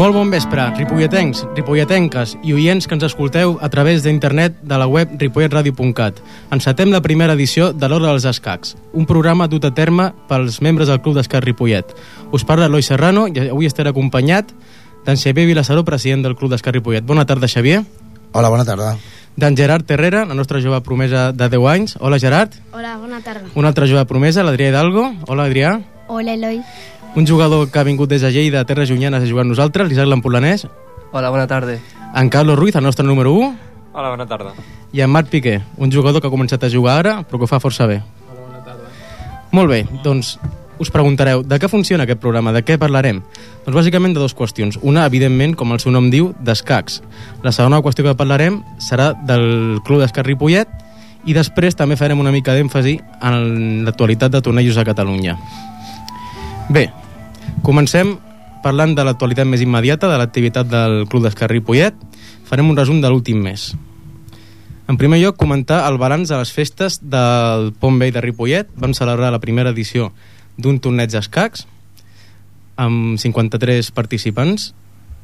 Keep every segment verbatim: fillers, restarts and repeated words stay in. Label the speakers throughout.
Speaker 1: Molt bon vespre, ripolletens, ripolletenques i oients que ens escolteu a través d'internet de la web ripollet radio punt cat. Encetem la primera edició de l'Hora dels Escacs, un programa dut a terme pels membres del Club d'Escacs Ripollet. Us parla Eloi Serrano i avui estaré acompanyat d'en Xavier Vilassaró, president del Club d'Escacs Ripollet. Bona tarda, Xavier.
Speaker 2: Hola, bona tarda.
Speaker 1: D'en Gerard Terrera, la nostra jove promesa de deu anys. Hola, Gerard.
Speaker 3: Hola, bona tarda.
Speaker 1: Una altra jove promesa, l'Adrià Hidalgo. Hola, Adrià.
Speaker 3: Hola, Eloi.
Speaker 1: Un jugador que ha vingut des de Lleida, Terres Llunyanes, a jugar amb nosaltres, l'Isaac Lampolanès.
Speaker 4: Hola, bona tarda.
Speaker 1: En Carlos Ruiz, el nostre número u.
Speaker 5: Hola, bona tarda.
Speaker 1: I en Marc Piqué, un jugador que ha començat a jugar ara, però que ho fa força bé.
Speaker 5: Hola, bona tarda.
Speaker 1: Molt bé, doncs us preguntareu, de què funciona aquest programa, de què parlarem? Doncs bàsicament de dues qüestions. Una, evidentment, com el seu nom diu, d'escacs. La segona qüestió que parlarem serà del Club d'Escacs Ripollet i després també farem una mica d'èmfasi en l'actualitat de tornejos a Catalunya. Bé, comencem parlant de l'actualitat més immediata, de l'activitat del Club d'Escacs Ripollet. Farem un resum de l'últim mes. En primer lloc, comentar el balanç de les festes del Pont Vell de Ripollet. Vam celebrar la primera edició d'un torneig d'escacs amb cinquanta-tres participants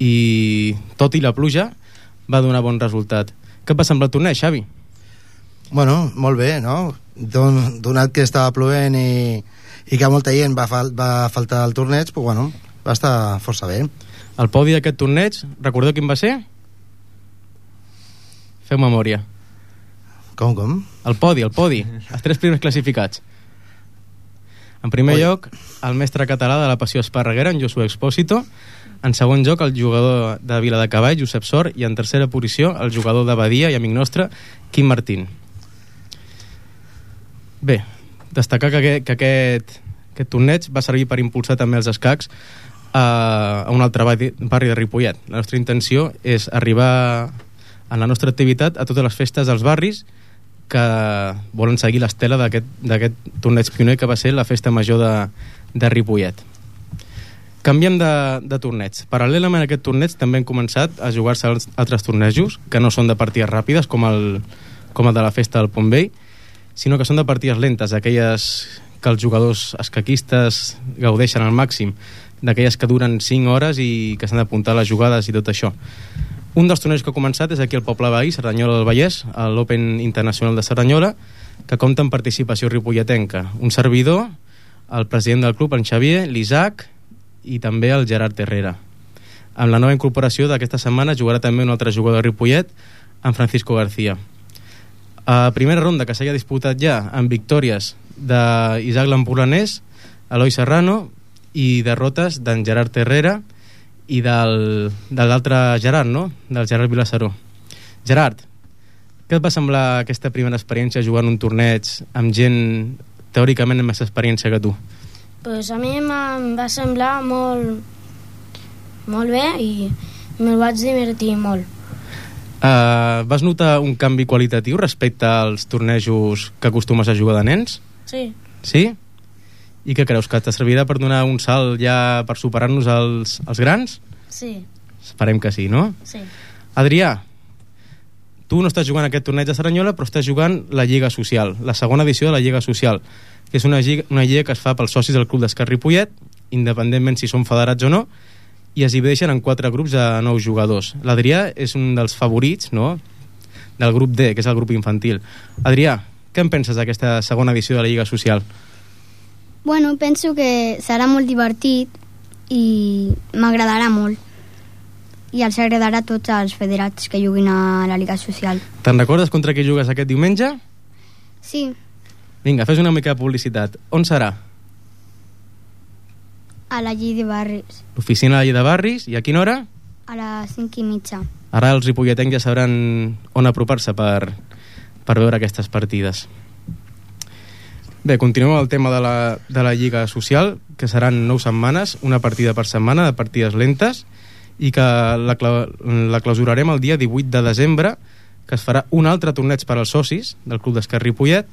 Speaker 1: i, tot i la pluja, va donar bon resultat. Què va semblar el torneig, Xavi?
Speaker 2: Bueno, molt bé, no? Don, donat que estava plovent i, i que molta gent va, fal, va faltar al torneig, pues bueno, va estar força bé.
Speaker 1: El podi d'aquest torneig, recordeu quin va ser? Feu memòria.
Speaker 2: Com, com?
Speaker 1: El podi, el podi. Els tres primers classificats. En primer Oi. lloc, el mestre català de la Passió Esparreguera, en Josué Expósito. En segon lloc, el jugador de Viladecavall, Josep Sor. I en tercera posició, el jugador de Badia i amic nostre, Quim Martín. Bé, destacar que, aquest, que aquest, aquest torneig va servir per impulsar també els escacs a, a un altre barri, barri de Ripollet. La nostra intenció és arribar en la nostra activitat a totes les festes dels barris que volen seguir l'estela d'aquest torneig pioner que va ser la festa major de, de Ripollet. Canviem de, de torneig. Paral·lelament a aquest torneig també han començat a jugar-se altres tornejos que no són de partides ràpides com el, com el de la festa del Pont Vell, sinó que són de partides lentes, aquelles que els jugadors escaquistes gaudeixen al màxim, d'aquelles que duren cinc hores i que s'han d'apuntar les jugades i tot això. Un dels tornejos que ha començat és aquí al poble veí, Cerdanyola del Vallès, a l'Open Internacional de Cerdanyola, que compta amb participació ripolletenca. Un servidor, el president del club, en Xavier, l'Isaac i també el Gerard Terrera. Amb la nova incorporació d'aquesta setmana jugarà també un altre jugador de Ripollet, en Francisco García. A primera ronda que s'ha disputat ja amb victòries d'Isaac Lampolanès, Eloi Serrano i derrotes d'en Gerard Terrera i del, de l'altre Gerard, no? Del Gerard Vilassaró. Gerard, què et va semblar aquesta primera experiència jugant un torneig amb gent teòricament amb més experiència que tu?
Speaker 3: Pues a mi em va semblar molt, molt bé i me'l vaig divertir molt.
Speaker 1: Uh, vas notar un canvi qualitatiu respecte als tornejos que acostumes a jugar de nens?
Speaker 3: Sí.
Speaker 1: Sí? I què creus, que te servirà per donar un salt ja per superar-nos als, als grans?
Speaker 3: Sí.
Speaker 1: Esperem que sí, no?
Speaker 3: Sí.
Speaker 1: Adrià, tu no estàs jugant aquest torneig de Cerdanyola, però estàs jugant la Lliga Social, la segona edició de la Lliga Social, que és una lliga, una lliga que es fa pels socis del Club d'Escacs Ripollet, independentment si són federats o no, i es divideixen en quatre grups de nou jugadors. L'Adrià és un dels favorits, no?, del grup D, que és el grup infantil. Adrià, què en penses d'aquesta segona edició de la Lliga Social?
Speaker 6: Bueno, penso que serà molt divertit i m'agradarà molt. I els agradarà a tots els federats que juguin a la Lliga Social.
Speaker 1: Te'n recordes contra qui jugues aquest diumenge?
Speaker 6: Sí.
Speaker 1: Vinga, fes una mica de publicitat. On serà?
Speaker 6: A la Llei de Barris.
Speaker 1: L'oficina de la Llei de Barris. I a quina hora?
Speaker 6: A les cinc i mitja.
Speaker 1: Ara els ripolletens ja sabran on apropar-se per, per veure aquestes partides. Bé, continuem amb el tema de la, de la Lliga Social, que seran nou setmanes, una partida per setmana, de partides lentes, i que la, la clausurarem el dia divuit de desembre, que es farà un altre torneig per als socis del Club d'Escacs Ripollet,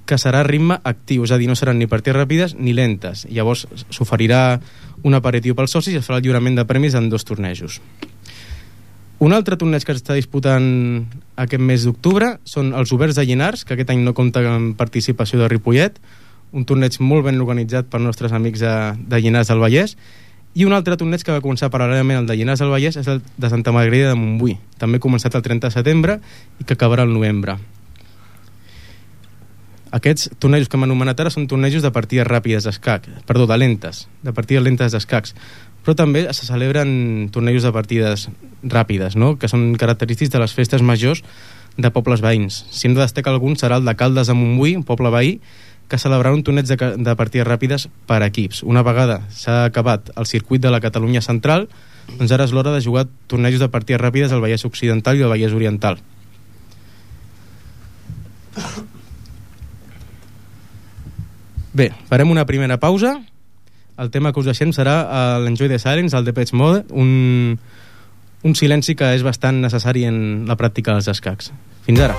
Speaker 1: que serà a ritme actiu, és a dir, no seran ni partides ràpides ni lentes. Llavors s'oferirà un aperitiu pels socis i es farà el lliurament de premis en dos tornejos. Un altre torneig que s'està disputant aquest mes d'octubre són els Oberts de Llinars, que aquest any no compta amb participació de Ripollet, un torneig molt ben organitzat pels nostres amics de, de Llinars del Vallès, I un altre torneig que va començar paral·lelament al de Llinars del Vallès és el de Santa Margarida de Montbui, també començat el trenta de setembre i que acabarà al novembre. Aquests tornejos que hem anomenat ara són tornejos de partides ràpides d'escac, perdó, de lentes, de partides lentes d'escacs, però també se celebren tornejos de partides ràpides, no?, que són característics de les festes majors de pobles veïns. Si hem de destacar algun serà el de Caldes de Montbui, un poble veí, que celebrarà un torneig de, de partides ràpides per equips. Una vegada s'ha acabat el circuit de la Catalunya Central, doncs ara és l'hora de jugar tornejos de partides ràpides al Vallès Occidental i al Vallès Oriental. Bé, farem una primera pausa. El tema que us deixem serà l'Enjoy the Silence, el Depeche Mode, un, un silenci que és bastant necessari en la pràctica dels escacs. Fins ara.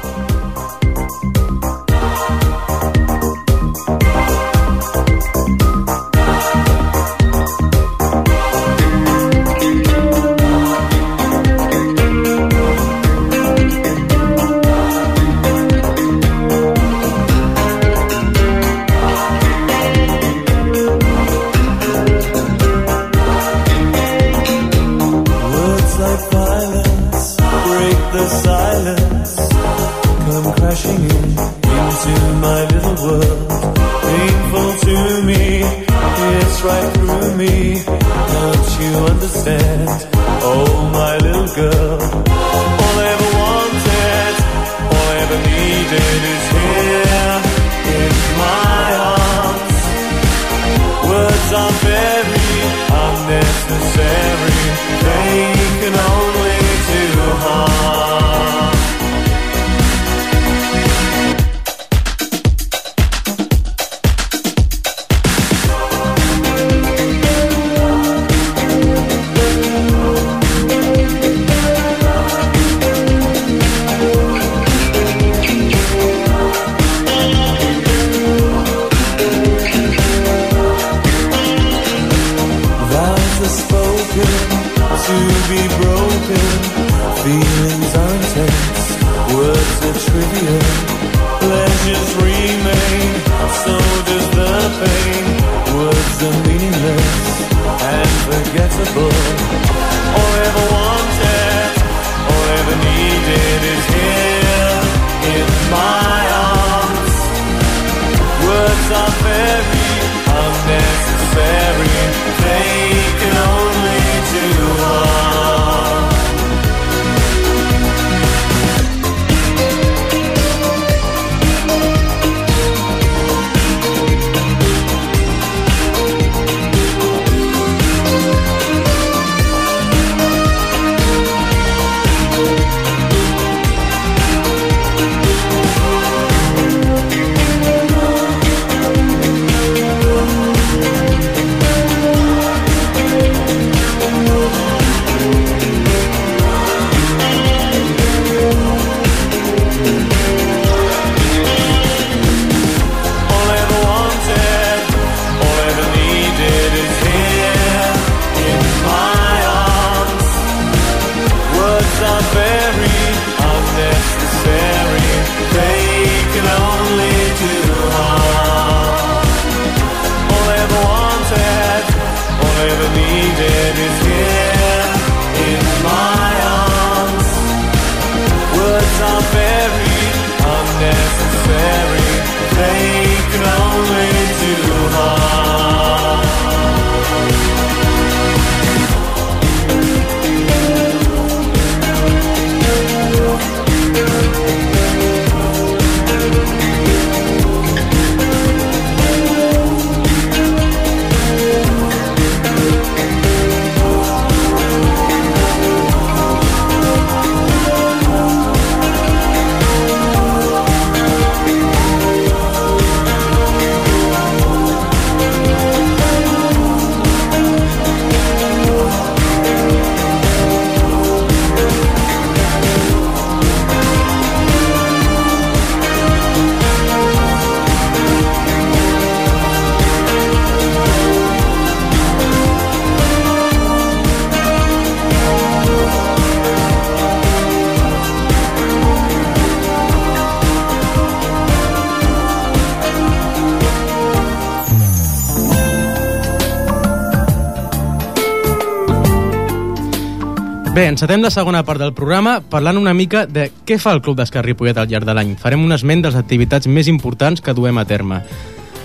Speaker 1: Bé, encetem la segona part del programa parlant una mica de què fa el Club d'Escacs Ripollet al llarg de l'any. Farem un esment de les activitats més importants que duem a terme.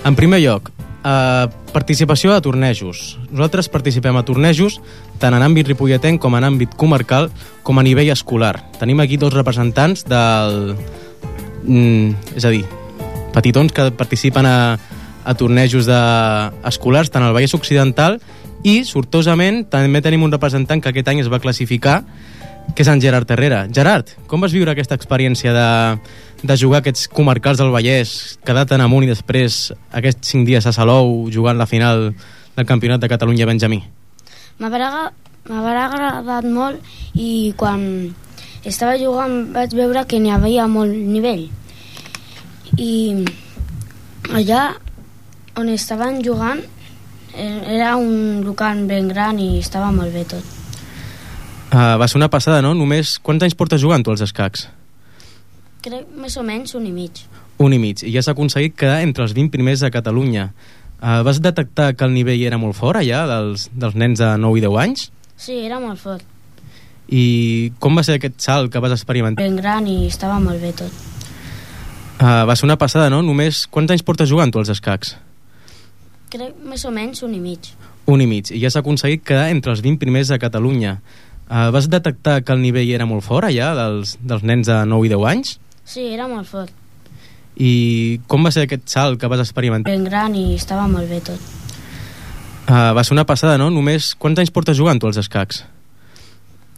Speaker 1: En primer lloc, eh, participació a tornejos. Nosaltres participem a tornejos tant en àmbit ripolletenc com en àmbit comarcal com a nivell escolar. Tenim aquí dos representants del... Mm, és a dir, petitons que participen a, a tornejos de, escolars tant al Vallès Occidental, i sortosament també tenim un representant que aquest any es va classificar, que és en Gerard Herrera. Gerard, com vas viure aquesta experiència de, de jugar aquests comarcals del Vallès, quedar tan amunt i després aquests cinc dies a Salou jugant la final del Campionat de Catalunya Benjamí?
Speaker 3: M'haurà agradat molt, i quan estava jugant vaig veure que n'hi havia molt nivell, i allà on estaven jugant era un local ben gran i estava molt bé tot.
Speaker 1: Uh, va ser una passada, no? Només quants anys portes jugant tu als escacs?
Speaker 3: Crec més o menys un i mig.
Speaker 1: Un i mig, i ja has aconseguit quedar entre els vint primers de Catalunya. Uh, vas detectar que el nivell era molt fort allà dels, dels nens de nou i deu anys?
Speaker 3: Sí, era molt fort.
Speaker 1: I com va ser aquest salt que vas experimentar?
Speaker 3: Ben gran i estava molt bé tot.
Speaker 1: Uh, va ser una passada, no? Només quants anys portes jugant tu als escacs?
Speaker 3: Crec més o menys un i mig.
Speaker 1: Un i mig, i ja has aconseguit quedar entre els vint primers de Catalunya. Uh, vas detectar que el nivell era molt fort allà dels, dels nens de nou i deu anys?
Speaker 3: Sí, era molt fort.
Speaker 1: I com va ser aquest salt que vas experimentar?
Speaker 3: Ben gran i estava molt bé tot.
Speaker 1: Uh, va ser una passada, no? Només quants anys portes jugant tu als escacs?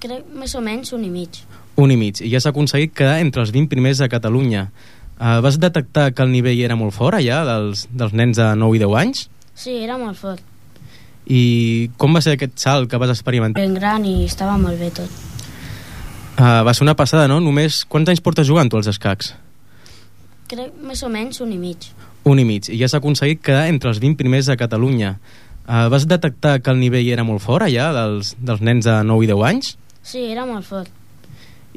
Speaker 3: Crec més o menys un i mig.
Speaker 1: Un i mig, i ja has aconseguit quedar entre els vint primers de Catalunya. Uh, vas detectar que el nivell era molt fort allà dels, dels nens de nou i deu anys?
Speaker 3: Sí, era molt fort.
Speaker 1: I com va ser aquest salt que vas experimentar?
Speaker 3: Ben gran i estava molt bé tot.
Speaker 1: Uh, va ser una passada, no? Només quants anys portes jugant tu als escacs?
Speaker 3: Crec més o menys un i mig.
Speaker 1: Un i mig, i ja has aconseguit quedar entre els vint primers de Catalunya. Uh, vas detectar que el nivell era molt fort allà dels, dels nens de nou i deu anys?
Speaker 3: Sí, era molt fort.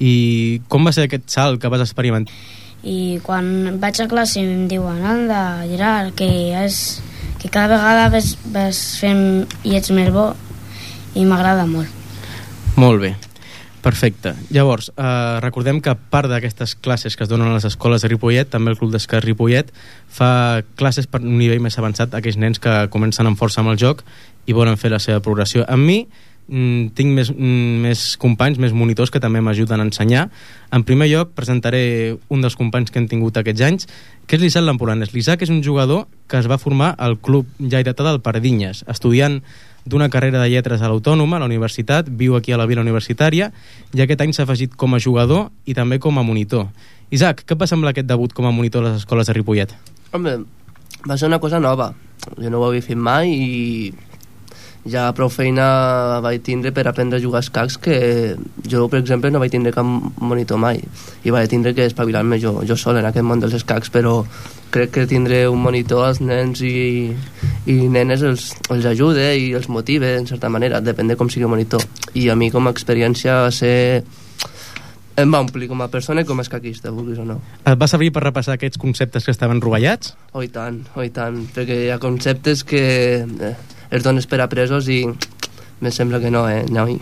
Speaker 1: I com va ser aquest salt que vas experimentar?
Speaker 3: I quan vaig a classe em diuen, anda, Gerard, que és... que cada vegada vas, vas fent i ets més bo, i m'agrada molt.
Speaker 1: Molt bé, perfecte. Llavors, eh, recordem que a part d'aquestes classes que es donen a les escoles de Ripollet, també el Club d'Escacs Ripollet fa classes per un nivell més avançat a aquells nens que comencen amb força amb el joc i volen fer la seva progressió. Amb mi mm, tinc més, mm, més companys, més monitors que també m'ajuden a ensenyar. En primer lloc presentaré un dels companys que hem tingut aquests anys, que és l'Isaac Lamporanes. L'Isaac és un jugador que es va formar al Club Lleidatà del Pardinyes, estudiant d'una carrera de lletres a l'Autònoma, a la universitat, viu aquí a la Vila Universitària, i aquest any s'ha afegit com a jugador i també com a monitor. Isaac, què et va semblar aquest debut com a monitor a les escoles de Ripollet?
Speaker 4: Home, va ser una cosa nova. Jo no ho havia fet mai i ja prou feina vaig tindre per aprendre a jugar a escacs, que jo, per exemple, no vaig tindre cap monitor mai i vaig tindre que espavilar-me jo, jo sol en aquest món dels escacs, però crec que tindre un monitor als nens i, i nenes els, els ajuda i els motiva en certa manera, depèn de com sigui el monitor. I a mi com a experiència va ser... em va omplir com a persona i com a escaquista, vulguis o no.
Speaker 1: Et va servir per repassar aquests conceptes que estaven rovellats?
Speaker 4: Oh, i tant, oh, i tant, perquè hi ha conceptes que eh, els dones per apresos i me sembla que no, eh, noi.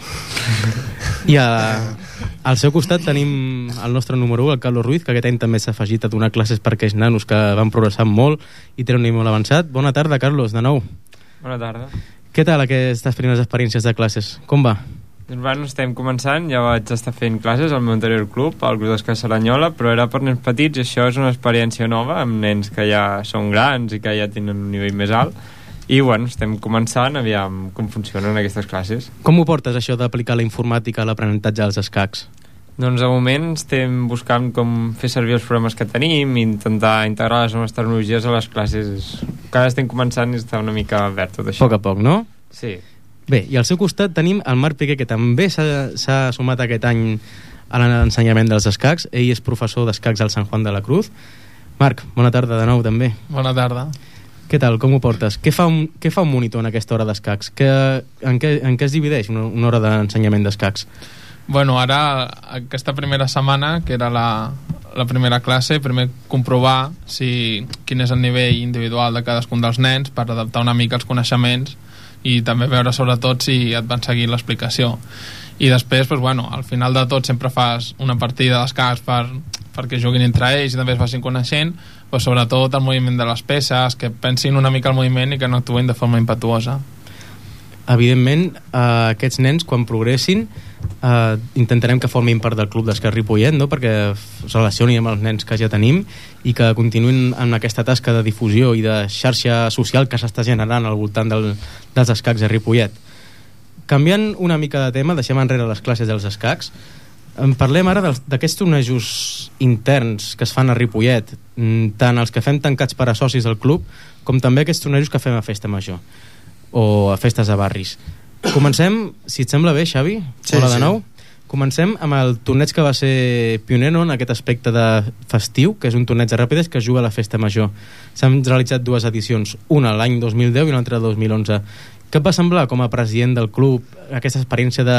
Speaker 1: I a, al seu costat tenim el nostre número u, el Carlos Ruiz, que aquest any també s'ha afegit a donar classes per aquells nanos que van progressar molt i tenen un nivell molt avançat. Bona tarda, Carlos, de nou.
Speaker 5: Bona tarda.
Speaker 1: Què tal aquestes primeres experiències de classes? Com va?
Speaker 5: Doncs bueno, estem començant, ja vaig estar fent classes al meu anterior club, al Club d'Escacs Cerdanyola, però era per nens petits i això és una experiència nova, amb nens que ja són grans i que ja tenen un nivell més alt, i bueno, estem començant, aviam com funcionen aquestes classes.
Speaker 1: Com ho portes, això d'aplicar la informàtica a l'aprenentatge dels escacs?
Speaker 5: Doncs de moment estem buscant com fer servir els programes que tenim i intentar integrar les noves tecnologies a les classes. Encara estem començant i està una mica verd tot això.
Speaker 1: A poc a poc, no?
Speaker 5: Sí.
Speaker 1: Bé, i al seu costat tenim el Marc Piqué, que també s'ha sumat aquest any a l'ensenyament dels escacs. Ell és professor d'escacs al Sant Juan de la Cruz. Marc, bona tarda de nou també.
Speaker 7: Bona tarda.
Speaker 1: Què tal, com ho portes? Què fa un, què fa un monitor en aquesta hora d'escacs? Que, en, què, en què es divideix una, una hora d'ensenyament d'escacs?
Speaker 7: Bueno, ara, aquesta primera setmana, que era la, la primera classe, primer comprovar si, quin és el nivell individual de cadascun dels nens per adaptar una mica els coneixements i també veure sobretot si et van seguir l'explicació. i després, doncs, bueno, al final de tot sempre fas una partida d'escacs per, perquè juguin entre ells i també es facin coneixent, però sobretot el moviment de les peces, que pensin una mica el moviment i que no actuïn de forma impetuosa.
Speaker 1: Evidentment, eh, aquests nens, quan progressin, eh, intentarem que formin part del club d'escacs Ripollet, no? Perquè es relacionin amb els nens que ja tenim i que continuïn en aquesta tasca de difusió i de xarxa social que s'està generant al voltant del, dels escacs a Ripollet. Canviant una mica de tema, deixem enrere les classes dels escacs, en parlem ara d'aquests tornejos interns que es fan a Ripollet, tant els que fem tancats per a socis del club com també aquests tornejos que fem a Festa Major o a festes de barris. Comencem, si et sembla bé, Xavi,
Speaker 2: sí,
Speaker 1: hola de
Speaker 2: sí.
Speaker 1: nou. Comencem amb el torneig que va ser pioner, no?, en aquest aspecte de festiu, que és un torneig de ràpides que es juga a la Festa Major. S'han realitzat dues edicions, una l'any dos mil deu i una altra el dos mil onze. Què et va semblar com a president del club aquesta experiència de,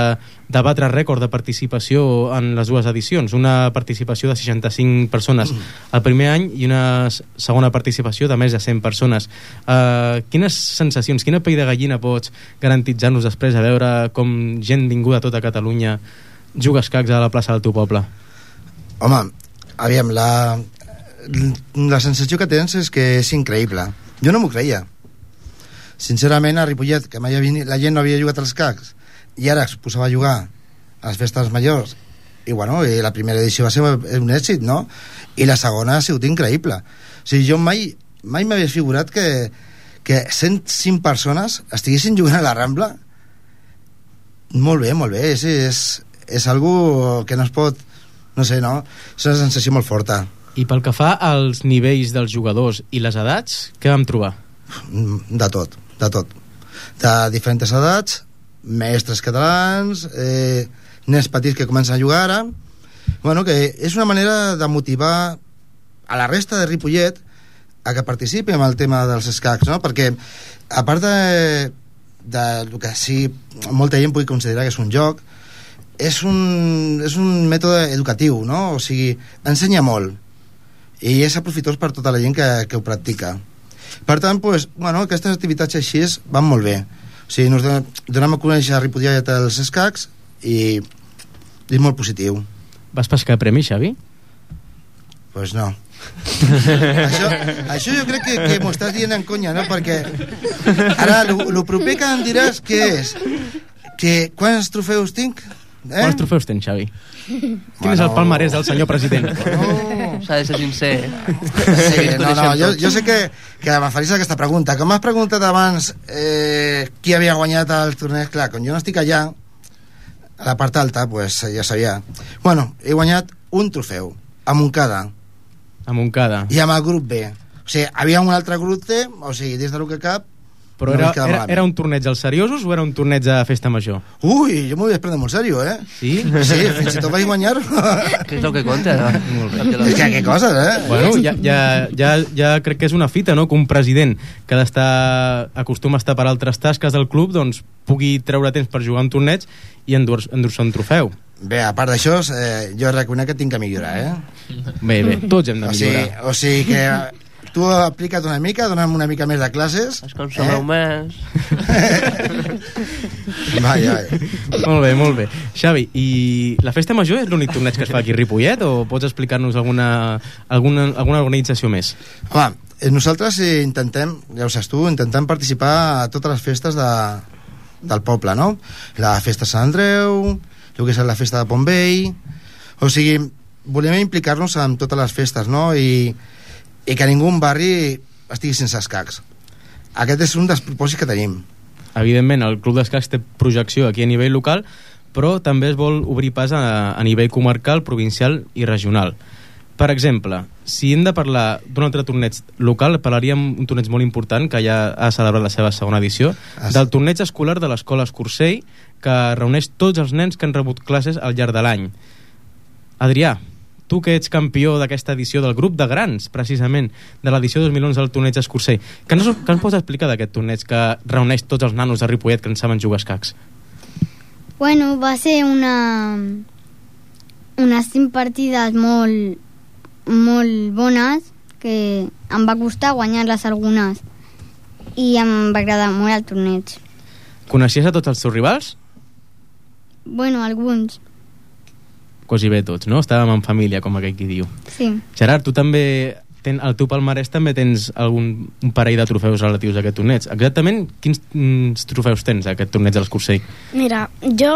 Speaker 1: de batre rècord de participació en les dues edicions? Una participació de seixanta-cinc persones el primer any i una segona participació de més de cent persones. Uh, quines sensacions, quina pell de gallina pots garantitzar-nos després a veure com gent vinguda a tota Catalunya juga escacs a la plaça del teu poble?
Speaker 2: Home, aviam, la, la sensació que tens és que és increïble. Jo no m'ho creia. Sincerament, a Ripollet, que mai havia, la gent no havia jugat als escacs i ara es posava a jugar a les festes majors i, bueno, i la primera edició va ser un èxit, no? I la segona ha sigut increïble. O sigui, jo mai mai m'havia figurat que, que cent cinc persones estiguessin jugant a la Rambla. Molt bé, molt bé, és, és, és algo que no es pot, no sé, no? És una sensació molt forta.
Speaker 1: I pel que fa als nivells dels jugadors i les edats, què vam trobar?
Speaker 2: De tot, de tot. De diferents edats, mestres catalans, eh, nens petits que comencen a jugar ara. Bueno, que és una manera de motivar a la resta de Ripollet a que participi en el tema dels escacs, no? Perquè a part de, de el que sí molta gent pugui considerar que és un joc, és un, és un mètode educatiu, no? O sigui, ensenya molt i és aprofitós per tota la gent que, que ho practica. Per tant, pues, bueno, aquestes activitats així van molt bé. O sigui, nos donem a conèixer a Ripollet els escacs i és molt positiu.
Speaker 1: Vas pescar premi, Xavi?
Speaker 2: Pues no. això, això jo crec que, que m'ho estàs dient en conya, no? Perquè ara el proper que em diràs què és, que quants trofeus tinc? Eh?
Speaker 1: Quants trofeus tens, Xavi? Quin bueno. és el palmarès del senyor president?
Speaker 4: No, s'ha de ser sincer.
Speaker 2: Sí, no, no, jo, jo sé que, que m'afaris aquesta pregunta. Com m'has preguntat abans eh, qui havia guanyat el torneig, clar, com jo no estic allà, a la part alta, pues ja sabia. Bueno, he guanyat un trofeu, a Montcada.
Speaker 1: A Montcada.
Speaker 2: I amb el grup B. O sigui, havia un altre grup C, o sigui, des de lo que cap...
Speaker 1: Però no era, era, era un torneig als seriosos o era un torneig de festa major?
Speaker 2: Ui, jo m'ho vaig prendre molt seriós, eh?
Speaker 1: Sí?
Speaker 2: Sí, fins i tot vaig guanyar.
Speaker 4: Què és el que compta? No?
Speaker 2: És que què coses, eh?
Speaker 1: Bueno, ja, ja, ja, ja crec que és una fita, no?, que un president que ha d'estar, acostuma a estar per altres tasques del club, doncs pugui treure temps per jugar un torneig i endur-se endur un trofeu.
Speaker 2: Bé, a part d'això, eh, jo reconec que tinc que millorar, eh?
Speaker 1: Bé, bé, tots hem de millorar.
Speaker 2: O sigui, o sigui que... Tu aplica't una mica, dona'm una mica més de classes.
Speaker 4: És com sobreu eh? més.
Speaker 2: Vai, vai.
Speaker 1: Molt bé, molt bé. Xavi, i la festa major és l'únic torneig que es fa aquí a Ripollet o pots explicar-nos alguna, alguna, alguna organització més?
Speaker 2: Home, nosaltres intentem, ja ho saps tu, intentem participar a totes les festes de, del poble, no? La festa de Sant Andreu, el que és la festa de Pontvell... O sigui, volem implicar-nos en totes les festes, no? I... i que ningú un barri estigui sense escacs. Aquest és un dels propòsits que tenim.
Speaker 1: Evidentment, el Club d'Escacs té projecció aquí a nivell local, però també es vol obrir pas a, a nivell comarcal, provincial i regional. Per exemple, si hem de parlar d'un altre torneig local, parlaríem d'un torneig molt important que ja ha celebrat la seva segona edició, del torneig escolar de l'Escola Escursell, que reuneix tots els nens que han rebut classes al llarg de l'any. Adrià, tu que ets campió d'aquesta edició del grup de grans, precisament, de l'edició dos mil onze del torneig Escursell, què ens, què ens pots explicar d'aquest torneig que reuneix tots els nanos de Ripollet que en saben jugar a escacs?
Speaker 6: Bueno, va ser una... unes cinc partides molt, molt bones, que em va costar guanyar-les algunes, i em va agradar molt el torneig.
Speaker 1: Coneixies a tots els teus rivals?
Speaker 6: Bueno, alguns.
Speaker 1: Quasi bé tots, no? Estàvem en família, com aquell qui diu.
Speaker 6: Sí.
Speaker 1: Gerard, tu també, ten, al teu palmarès també tens algun, un parell de trofeus relatius a aquest torneig. Exactament quins mm, trofeus tens a aquest torneig de l'Escursell?
Speaker 3: Mira, jo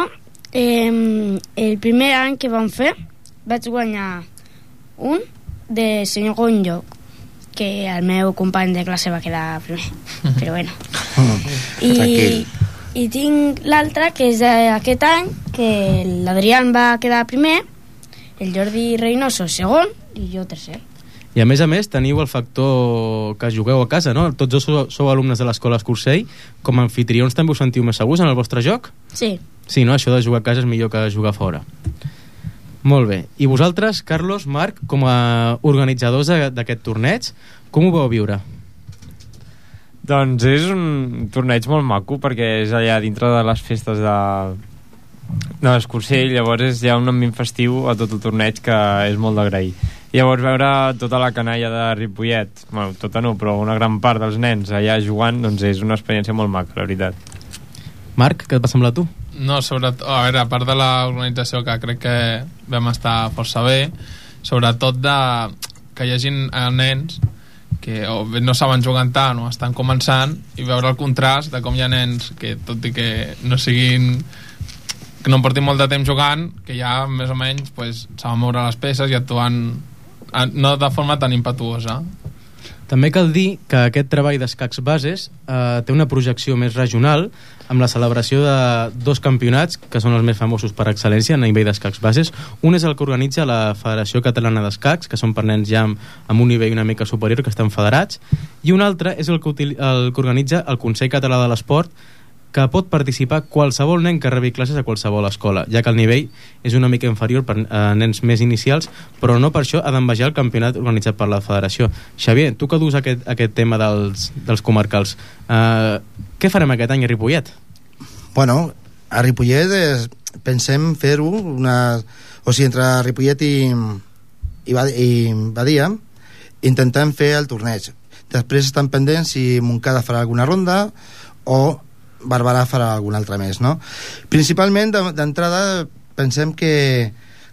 Speaker 3: eh, el primer any que vam fer vaig guanyar un de segon lloc, que el meu company de classe va quedar primer, però bueno. I, i tinc l'altre, que és aquest any, que l'Adrián va quedar primer, el Jordi Reynoso segon i jo tercer.
Speaker 1: I a més a més teniu el factor que jugueu a casa, no? Tots dos sou, sou alumnes de l'escola Escursell. Com a anfitrions també us sentiu més segurs en el vostre joc?
Speaker 3: Sí.
Speaker 1: Sí, no? Això de jugar a casa és millor que jugar fora. Molt bé. I vosaltres, Carlos, Marc, com a organitzadors d'aquest torneig, com ho vau viure?
Speaker 5: Doncs és un torneig molt maco, perquè és allà dintre de les festes de, de l'Escursell, llavors és ja un ambient festiu a tot el torneig que és molt d'agrair. Llavors veure tota la canalla de Ripollet, bueno, tota no, però una gran part dels nens allà jugant, doncs és una experiència molt maca, la veritat.
Speaker 1: Marc, què et va semblar a tu?
Speaker 7: No, sobretot, a veure, a part de l'organització, que crec que vam estar força bé, sobretot de que hi hagi nens que o bé no saben jugar tant o estan començant, i veure el contrast de com hi ha nens que, tot i que no siguin, que no en portin molt de temps jugant, que ja més o menys pues, saben moure les peces i actuant no de forma tan impetuosa.
Speaker 1: També cal dir que aquest treball d'escacs bases eh, té una projecció més regional, amb la celebració de dos campionats que són els més famosos per excel·lència a nivell d'escacs bases. Un és el que organitza la Federació Catalana d'Escacs, que són per nens ja amb, amb un nivell una mica superior, que estan federats, i un altre és el que, util, el que organitza el Consell Català de l'Esport, que pot participar qualsevol nen que rebi classes a qualsevol escola, ja que el nivell és una mica inferior per a nens més inicials, però no per això ha d'envejar el campionat organitzat per la federació. Xavier, tu que dus aquest, aquest tema dels, dels comarcals, eh, què farem aquest any a Ripollet?
Speaker 2: Bueno, a Ripollet és, pensem fer-ho una, o sigui, entre Ripollet i, i, i Badia intentem fer el torneig. Després estan pendents si Montcada farà alguna ronda o Barberà farà algun altre més, no? Principalment, d'entrada, pensem que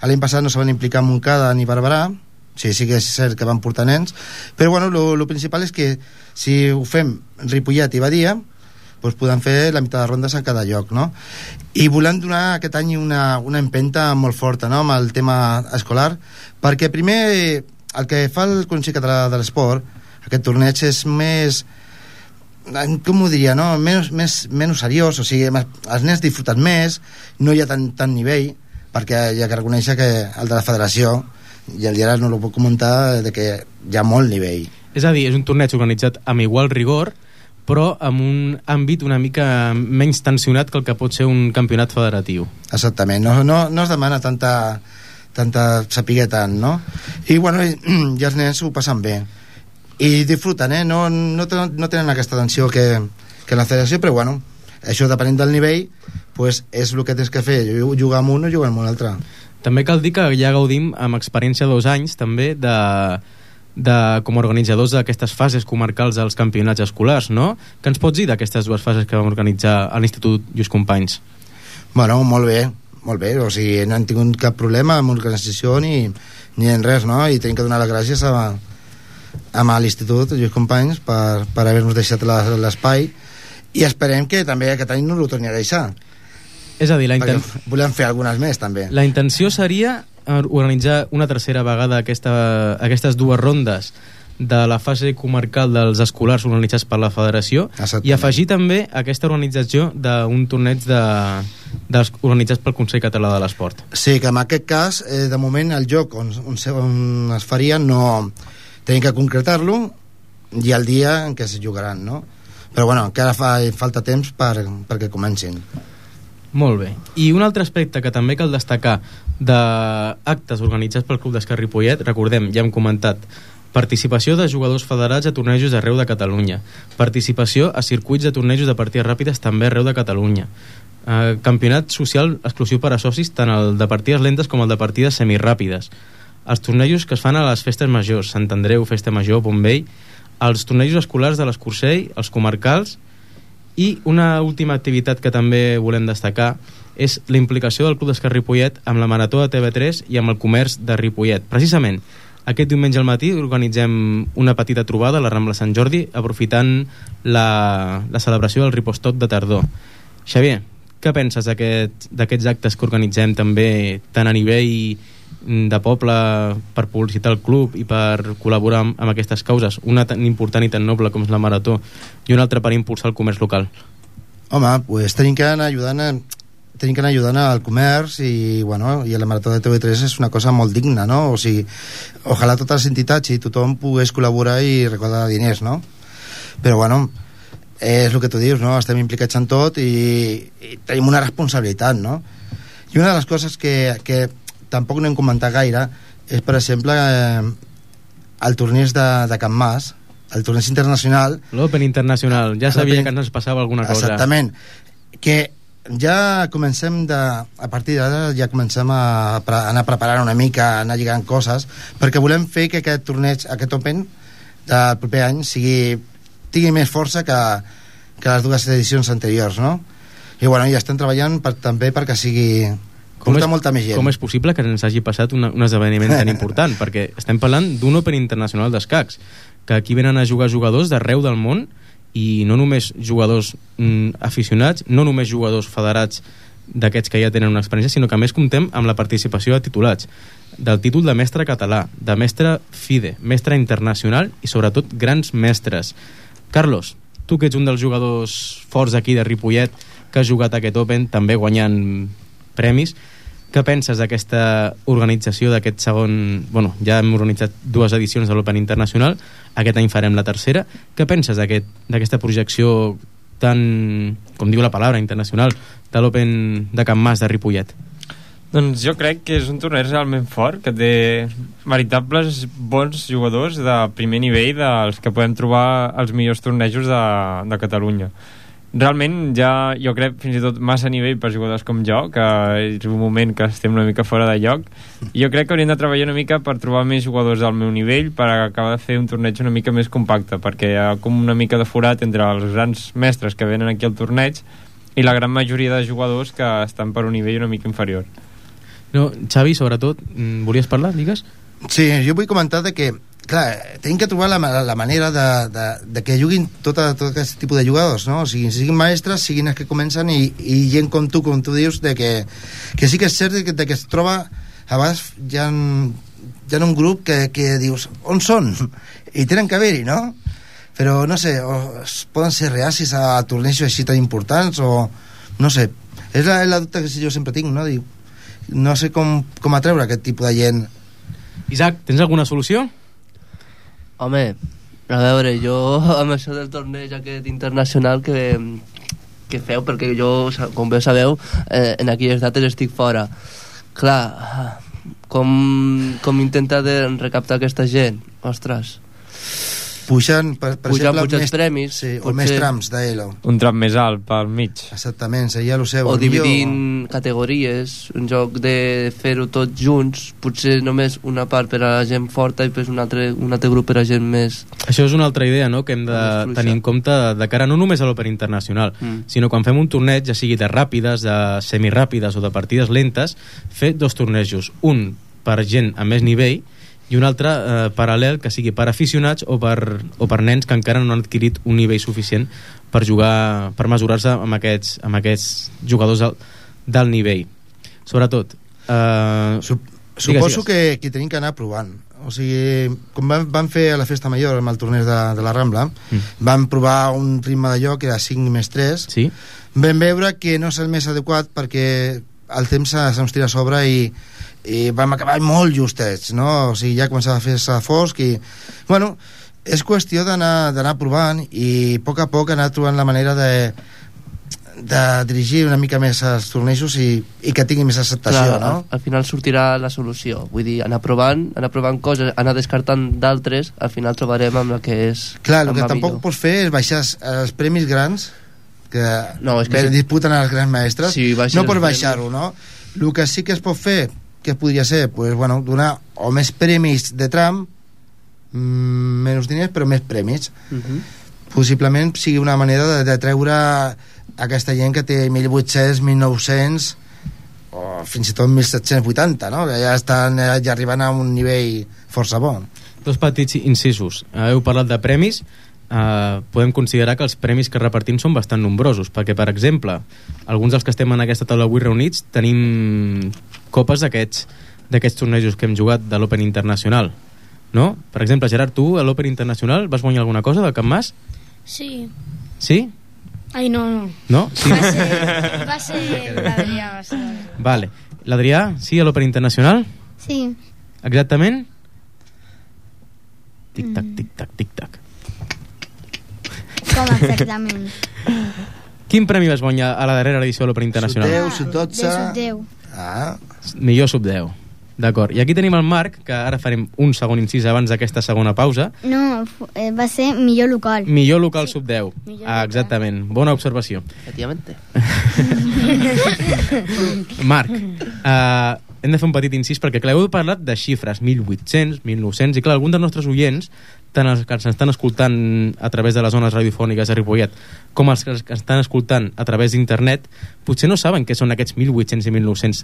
Speaker 2: l'any passat no se van implicar Montcada ni Barberà, sí, sí que és cert que van portar nens, però bueno, el principal és que si ho fem Ripollet i Badia, doncs podem fer la meitat de rondes a cada lloc, no? I volem donar aquest any una, una empenta molt forta, no?, amb el tema escolar, perquè primer el que fa el Consell Català de l'Esport, aquest torneig, és més, com ho diria, no? Menys, més, menys seriós, o sigui, els nens disfruten més, no hi ha tant, tant nivell, perquè hi ha que reconèixer que el de la federació, i el Gerard no ho puc comentar, de que hi ha molt nivell.
Speaker 1: És a dir, és un torneig organitzat amb igual rigor, però amb un àmbit una mica menys tensionat que el que pot ser un campionat federatiu.
Speaker 2: Exactament, no, no, no es demana tanta, tanta saber tant, no? I, bueno, i, i els nens ho passen bé. I disfruten, eh? No, no, no tenen aquesta tensió que, que la federació, però bueno, això depenent del nivell, pues és el que tens que fer, jugar amb un o jugar amb un altre.
Speaker 1: També cal dir que ja gaudim amb experiència dos anys també de, de com a organitzadors d'aquestes fases comarcals dels campionats escolars, no? Què ens pots dir d'aquestes dues fases que vam organitzar a l'Institut Lluís Companys?
Speaker 2: Bueno, molt bé, molt bé, o sigui, no hem tingut cap problema amb l'organització ni, ni en res, no? I tenim que donar les gràcies a amb l'Institut Lluís Companys per, per haver-nos deixat l'espai, i esperem que també aquest any no ho torni a deixar.
Speaker 1: És a dir, la inten...
Speaker 2: volem fer algunes més també.
Speaker 1: La intenció seria organitzar una tercera vegada aquesta, aquestes dues rondes de la fase comarcal dels escolars organitzats per la federació. Exactament. I afegir també aquesta organització d'un torneig de, dels organitzats pel Consell Català de l'Esport.
Speaker 2: Sí, que en aquest cas, eh, de moment el joc on, on, on es faria no... tenim que concretar-lo i el dia en què es jugaran, no? Però bueno, encara fa falta temps per, perquè comencin.
Speaker 1: Molt bé. I un altre aspecte que també cal destacar d'actes organitzats pel Club d'Escacs Ripollet, recordem, ja hem comentat, participació de jugadors federats a tornejos arreu de Catalunya, participació a circuits de tornejos de partides ràpides també arreu de Catalunya, eh, campionat social exclusiu per a socis, tant el de partides lentes com el de partides semiràpides, els tornejos que es fan a les festes majors, Sant Andreu, Festa Major, Bombell, els tornejos escolars de l'Escursell, els comarcals, i una última activitat que també volem destacar és la implicació del Club d'Escacs Ripollet amb la Marató de T V tres i amb el comerç de Ripollet. Precisament, aquest diumenge al matí organitzem una petita trobada a la Rambla Sant Jordi, aprofitant la, la celebració del Ripostot de tardor. Xavier, què penses d'aquest, d'aquests actes que organitzem també tant a nivell de poble per publicitar el club i per col·laborar amb, amb aquestes causes, una tan important i tan noble com és la Marató i una altra per impulsar el comerç local?
Speaker 2: Home, pues tenim que anar ajudant a tenim que anar ajudant al comerç i, bueno, i la Marató de T V tres és una cosa molt digna, no? O sigui, ojalà totes les entitats i tothom pogués col·laborar i recordar diners, no? Però, bueno, és el que tu dius, no? Estem implicats en tot i, i tenim una responsabilitat, no? I una de les coses que, que tampoc no hem comentat gaire és, per exemple, eh, el torneig de, de Can Mas, el torneig internacional.
Speaker 1: L'Open Internacional, ja sabia que ens passava alguna cosa.
Speaker 2: Exactament, que ja comencem de, a partir d'ara ja comencem a, a anar preparant una mica, a anar lligant coses, perquè volem fer que aquest torneig, aquest Open del proper any sigui, tingui més força que, que les dues edicions anteriors, no? I bueno, ja estem treballant per, també perquè sigui com és, molta més gent.
Speaker 1: Com és possible que ens hagi passat una, un esdeveniment tan important? Perquè estem parlant d'un Open Internacional d'escacs, que aquí venen a jugar jugadors d'arreu del món, i no només jugadors mm, aficionats, no només jugadors federats d'aquests que ja tenen una experiència, sinó que a més comptem amb la participació de titulats, del títol de mestre català, de mestre FIDE, mestre internacional i sobretot grans mestres. Carlos, tu que ets un dels jugadors forts aquí de Ripollet, que has jugat aquest Open, també guanyant premis, què penses d'aquesta organització d'aquest segon... Bueno, ja hem organitzat dues edicions de l'Open Internacional, aquest any farem la tercera. Què penses d'aquest, d'aquesta projecció tan, com diu la paraula, internacional, de l'Open de Can Mas de Ripollet?
Speaker 5: Doncs jo crec que és un torneig realment fort, que té veritables bons jugadors de primer nivell, dels que podem trobar els millors tornejos de, de Catalunya. Realment ja, jo crec, fins i tot massa nivell per jugadors com jo, que és un moment que estem una mica fora de lloc, i jo crec que hauríem de treballar una mica per trobar més jugadors al meu nivell, per acabar de fer un torneig una mica més compacte, perquè hi ha com una mica de forat entre els grans mestres que venen aquí al torneig i la gran majoria de jugadors que estan per un nivell una mica inferior.
Speaker 1: No, Xavi, sobretot, volies parlar, digues?
Speaker 2: Sí, jo vull comentar de que clar, tenim que trobar la, la manera de, de, de que juguin tot, tot aquest tipus de jugadors, no? O sigui, siguin maestres, siguin els que comencen i, i gent com tu, com tu dius, de que, que sí que és cert de que, de que es troba a vegades hi ha, hi ha un grup que, que dius, on són? I tenen que haver-hi, no? Però no sé, o poden ser reacis a tornejos així tan importants o no sé, és la, la dubte que jo sempre tinc, no? Diu, no sé com, com atreure aquest tipus de gent.
Speaker 1: Isaac, tens alguna solució?
Speaker 4: Home, a veure, jo amb això del torneig aquest internacional que, que feu, perquè jo, com bé sabeu, eh, en aquelles dates estic fora. Clar, com, com intenta de recaptar aquesta gent? Ostres.
Speaker 2: Puixant, per, per
Speaker 4: Pujar,
Speaker 2: exemple,
Speaker 4: més premis.
Speaker 2: Sí, o més trams d'Elo.
Speaker 5: Un tram més alt pel mig.
Speaker 2: Exactament, seria el seu.
Speaker 4: O dividint millor... categories, en lloc de fer-ho tots junts, potser només una part per a la gent forta i després un altre, un altre grup per a gent més...
Speaker 1: Això és una altra idea, no?, que hem de tenir en compte de cara no només a l'Open Internacional, mm. sinó quan fem un torneig, ja sigui de ràpides, de semiràpides o de partides lentes, fer dos tornejos, un per gent amb més nivell i un altre eh, paral·lel que sigui per aficionats o per, o per nens que encara no han adquirit un nivell suficient per jugar, per mesurar-se amb aquests, amb aquests jugadors del, del nivell. Sobretot eh,
Speaker 2: Sup suposo digues, que, que tenim que anar provant, o sigui, com van, van fer a la festa major amb el torneig de, de la Rambla, mm. van provar un ritme de joc que era cinc més tres,
Speaker 1: sí?
Speaker 2: Vam veure que no és el més adequat perquè el temps se'ns tira a sobre i i vam acabar molt justets, no? O sigui, ja començava a fer-se fosc i... Bueno, és qüestió d'anar provant i a poc a poc anar trobant la manera de, de dirigir una mica més els tornejos i, i que tingui més acceptació,
Speaker 4: clar,
Speaker 2: no?
Speaker 4: Al, al final sortirà la solució, vull dir, anar provant, anar provant coses, anar descartant d'altres, al final trobarem amb la que és...
Speaker 2: Clar, el que tampoc millor. Pots fer és baixar els premis grans que,
Speaker 4: no, és que
Speaker 2: si... disputen els grans mestres,
Speaker 4: sí,
Speaker 2: no pots baixar-ho, no? El que sí que es pot fer, que podria ser, pues, bueno, donar o més premis de tram, mmm, menys diners, però més premis. Uh -huh. Possiblement sigui una manera de, de treure aquesta gent que té mil vuit-cents, mil nou-cents o fins i tot mil set-cents vuitanta, no? Que ja estan ja arribant a un nivell força bo.
Speaker 1: Dos petits incisos. Heu parlat de premis. Uh, podem considerar que els premis que repartim són bastant nombrosos, perquè, per exemple, alguns dels que estem en aquesta taula avui reunits tenim copes d'aquests d'aquests tornejos que hem jugat de l'Open Internacional, no? Per exemple, Gerard, tu a l'Open Internacional vas guanyar alguna cosa del Camp Mas?
Speaker 3: Sí.
Speaker 1: Sí?
Speaker 3: Ai, no, no.
Speaker 1: No? Sí?
Speaker 3: Va ser, va ser l'Adrià. Va ser l'Adrià.
Speaker 1: Vale. L'Adrià, sí, a l'Open Internacional?
Speaker 6: Sí.
Speaker 1: Exactament? Tic-tac, tic-tac, tic-tac.
Speaker 6: Com exactament?
Speaker 1: Quin premi vas guanyar a la darrera edició de l'Open Internacional?
Speaker 2: Sub deu, sub dotze...
Speaker 6: De sub deu.
Speaker 2: Ah.
Speaker 1: Millor sub deu. D'acord. I aquí tenim el Marc, que ara farem un segon incís abans d'aquesta segona pausa.
Speaker 6: No, eh, va ser millor local.
Speaker 1: Millor local sub deu.
Speaker 3: Millor
Speaker 1: Ah, exactament. Bona observació.
Speaker 4: Efectivamente.
Speaker 1: Marc, uh, hem de fer un petit incís perquè, clar, heu parlat de xifres, mil vuit-cents, mil nou-cents, i clar, alguns dels nostres oients, tant els que ens estan escoltant a través de les zones radiofòniques de Ripollet com els que ens estan escoltant a través d'internet, potser no saben què són aquests mil vuit-cents i mil nou-cents.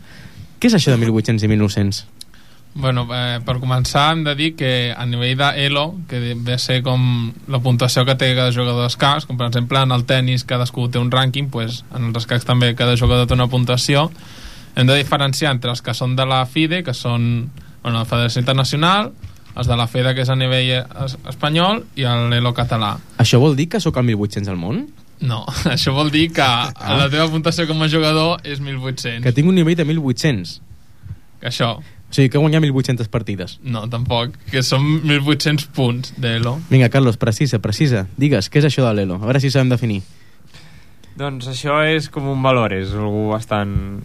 Speaker 1: Què és això de mil vuit-cents i mil nou-cents?
Speaker 7: Bueno, eh, per començar hem de dir que a nivell d'Elo, que ve a ser com la puntuació que té cada jugador d'escacs, com per exemple en el tennis cadascú té un rànquing, pues, en els escacs també cada jugador té una puntuació. Hem de diferenciar entre els que són de la FIDE, que són, bueno, la Federació Internacional, els de la FEDA, que és a nivell es espanyol, i l'Elo català.
Speaker 1: Això vol dir que sóc el mil vuit-cents al món?
Speaker 7: No, això vol dir que
Speaker 1: Ah.
Speaker 7: la teva puntuació com a jugador és mil vuit-cents.
Speaker 1: Que tinc un nivell de mil vuit-cents.
Speaker 7: Que això,
Speaker 1: O sigui, que he guanyat mil vuit-centes partides.
Speaker 7: no, tampoc, que són mil vuit-cents punts d'Elo.
Speaker 1: Vinga, Carlos, precisa, precisa. Digues, què és això de l'Elo? A veure si sabem definir.
Speaker 5: Doncs això és com un valor, és algú bastant...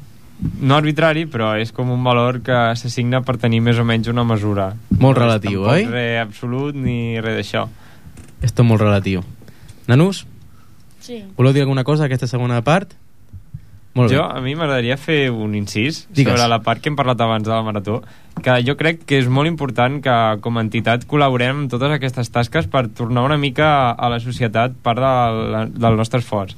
Speaker 5: no arbitrari, però és com un valor que s'assigna per tenir més o menys una mesura.
Speaker 1: Molt
Speaker 5: No és
Speaker 1: relatiu,
Speaker 5: tampoc
Speaker 1: oi?
Speaker 5: res absolut ni res d'això.
Speaker 1: És tot molt relatiu. Nanus,
Speaker 3: Sí.
Speaker 1: voleu dir alguna cosa d'aquesta segona part? Molt bé.
Speaker 5: Jo, a mi m'agradaria fer un incís
Speaker 1: Digues.
Speaker 5: sobre la part que hem parlat abans de la marató, que jo crec que és molt important que com a entitat col·laborem en totes aquestes tasques per tornar una mica a la societat part de la, del nostre esforç.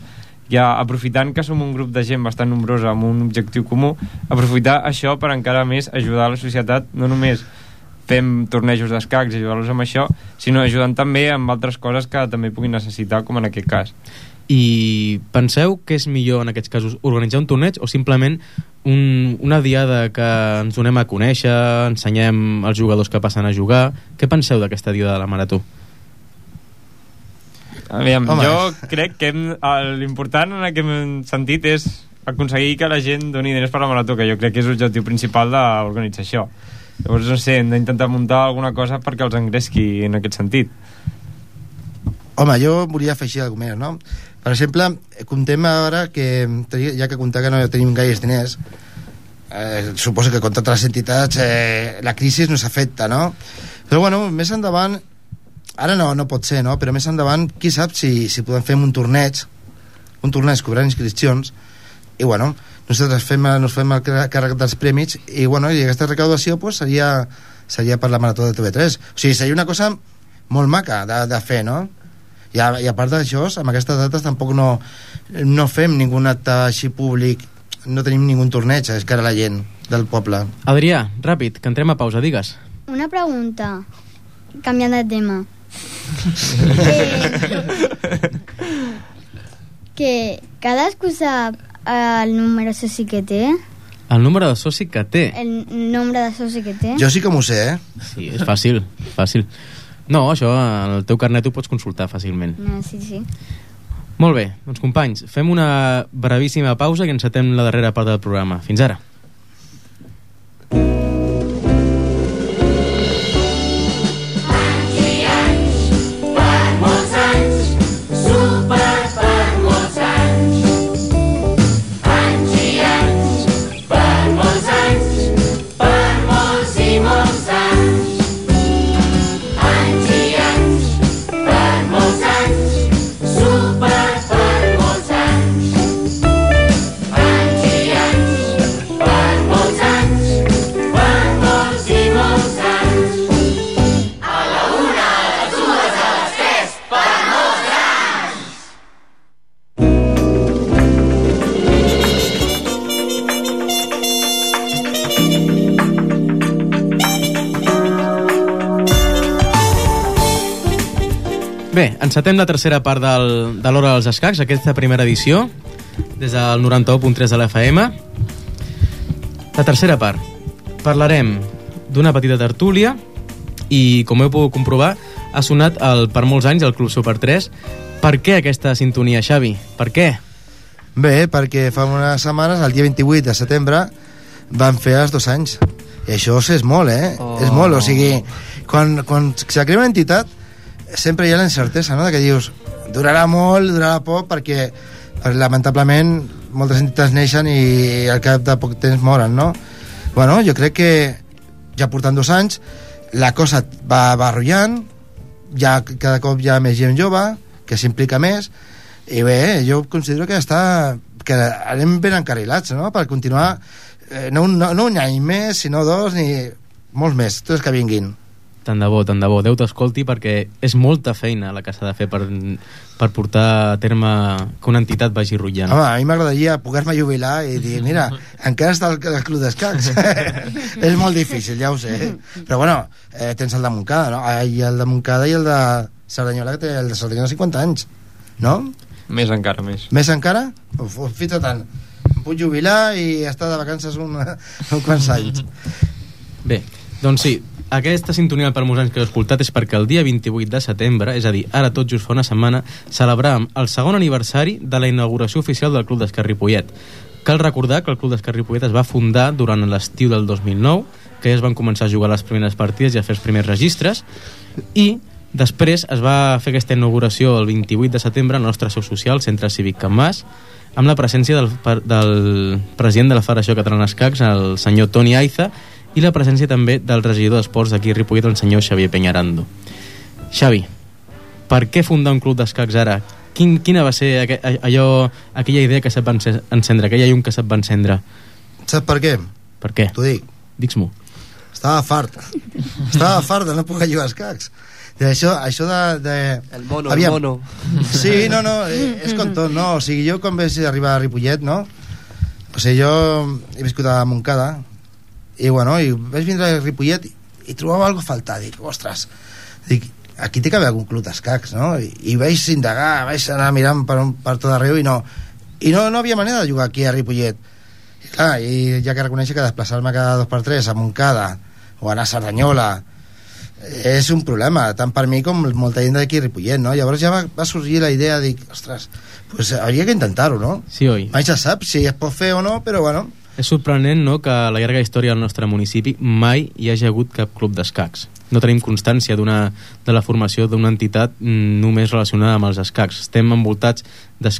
Speaker 5: Ja aprofitant que som un grup de gent bastant nombrosa amb un objectiu comú, aprofitar això per encara més ajudar a la societat, no només fem tornejos d'escacs i ajudar-los amb això, sinó ajudant també amb altres coses que també puguin necessitar, com en aquest cas.
Speaker 1: I penseu que és millor en aquests casos organitzar un torneig o simplement un, una diada que ens donem a conèixer, ensenyem els jugadors que passen a jugar? Què penseu d'aquesta diada de la marató?
Speaker 5: Aviam,
Speaker 2: Home.
Speaker 5: jo crec que hem- el- l'important en aquest sentit és aconseguir que la gent doni diners per la marató, que jo crec que és l'objectiu principal d'organitzar això. Llavors, no sé, hem d'intentar muntar alguna cosa perquè els engresqui en aquest sentit.
Speaker 2: Home, jo volia afegir alguna cosa més, no? Per exemple, comptem ara que, ja que comptar que no tenim gaires diners, eh, suposo que com totes les entitats eh, la crisi no s'afecta, no? Però bueno, més endavant, ara no, no pot ser, no? Però més endavant, qui sap si, si podem fer un torneig, un torneig cobrant inscripcions, i bueno, nosaltres fem, nos fem el càrrec dels premis, i bueno, i aquesta recaudació pues, seria, seria per la marató de T V tres. O sigui, seria una cosa molt maca de, de fer, no? I a, i a part d'això, amb aquestes dates tampoc no, no fem ningú acte així públic, no tenim ningú torneig a cara a la gent del poble.
Speaker 1: Adrià, ràpid, que entrem a pausa, digues.
Speaker 6: Una pregunta, canviant de tema. que, que cadascú sap el número de soci que té,
Speaker 1: El número de soci que té.
Speaker 6: el nombre de soci que té.
Speaker 2: Jo sí que m'ho sé, eh?
Speaker 1: Sí, és fàcil, fàcil. No, això, en el teu carnet ho pots consultar fàcilment.
Speaker 6: No, sí, sí.
Speaker 1: Molt bé, doncs companys, fem una brevíssima pausa i encetem la darrera part del programa. Fins ara.
Speaker 8: Super per molts anys. Anys i anys.
Speaker 1: Bé, encetem la tercera part del, de l'Hora dels Escacs, aquesta primera edició, des del noranta-u punt tres de l'F M. La tercera part. Parlarem d'una petita tertúlia i, com heu pogut comprovar, ha sonat el, per molts anys el Club Super tres. Per què aquesta sintonia, Xavi? Per què?
Speaker 2: Bé, perquè fa unes setmanes, el dia vint-i-vuit de setembre, van fer els dos anys. I això és molt, eh? Oh. És molt, o sigui, quan, quan se crea una entitat, sempre hi ha la incertesa, no?, de que dius, durarà molt, durarà poc, perquè, perquè lamentablement moltes entitats neixen i al cap de poc temps moren, no? Bueno, jo crec que ja portant dos anys la cosa va, va arrollant, ja cada cop hi ha més gent jove que s'implica més, i bé, jo considero que està que anem ben encarrilats, no?, per continuar eh, no, un, no, no un any més, sinó dos, ni molts més, tots que vinguin.
Speaker 1: Tant de bo, tant de bo. Déu t'escolti, perquè és molta feina la que s'ha de fer per, per portar a terme que una entitat vagi rotllant.
Speaker 2: Home, a mi m'agradaria poder-me jubilar i dir, mira, encara està el, el club d'escacs. És molt difícil, ja ho sé. Però bueno, eh, tens el de Montcada, no? I el de Montcada i el de Cerdanyola, que té el de Cerdanyola cinquanta anys, no?
Speaker 5: Més encara, més.
Speaker 2: Més encara? Uf, fins i tant. Em puc jubilar i estar de vacances un, un quants anys.
Speaker 1: Bé, doncs sí, aquesta sintonia per molts anys que heu escoltat és perquè el dia vint-i-vuit de setembre, és a dir, ara tot just fa una setmana, celebràvem el segon aniversari de la inauguració oficial del Club d'Escacs Ripollet. Cal recordar que el Club d'Escacs Ripollet es va fundar durant l'estiu del dos mil nou, que ja es van començar a jugar les primeres partides i a fer els primers registres, i després es va fer aquesta inauguració el vint-i-vuit de setembre al nostre seu social, Centre Cívic Can Mas, amb la presència del, del president de la Federació Catalana d'Escacs, el senyor Toni Aiza, i la presència també del regidor d'esports d'aquí a Ripollet, el senyor Xavier Peñarando. Xavi, per què fundar un club d'escacs ara? Quin, quina va ser aqu allò, aquella idea que se't va encendre, aquella llum que se't va encendre?
Speaker 2: Saps per què?
Speaker 1: Per què?
Speaker 2: T'ho dic.
Speaker 1: Digues-m'ho.
Speaker 2: Estava fart. Estava fart de no poder jugar a escacs. De això, això de, de...
Speaker 4: El mono,
Speaker 2: Aviam.
Speaker 4: el mono.
Speaker 2: Sí, no, no, és com tot, no? O sigui, jo quan vaig arribar a Ripollet, no? O sigui, jo he viscut a Montcada, i bueno, i vaig vindre a Ripollet i, i trobava alguna cosa a faltar. Dic, ostres, dic, aquí té que haver algun club d'escacs, no? I, i vaig indagar, vaig anar mirant per, un, per tot arreu i no i no, no havia manera de jugar aquí a Ripollet. I clar, i ja que reconèixer que desplaçar-me cada dos per tres a Montcada o anar a Cerdanyola és un problema, tant per mi com molta gent d'aquí a Ripollet, no? Llavors ja va, va sorgir la idea, dic, ostres, pues hauria que intentar-ho, no?
Speaker 1: Sí, oi?
Speaker 2: Mai se sap si es pot fer o no, però bueno.
Speaker 1: És sorprenent, no?, que a la llarga història del nostre municipi mai hi hagi hagut cap club d'escacs. No tenim constància d'una de la formació d'una entitat només relacionada amb els escacs. Estem envoltats de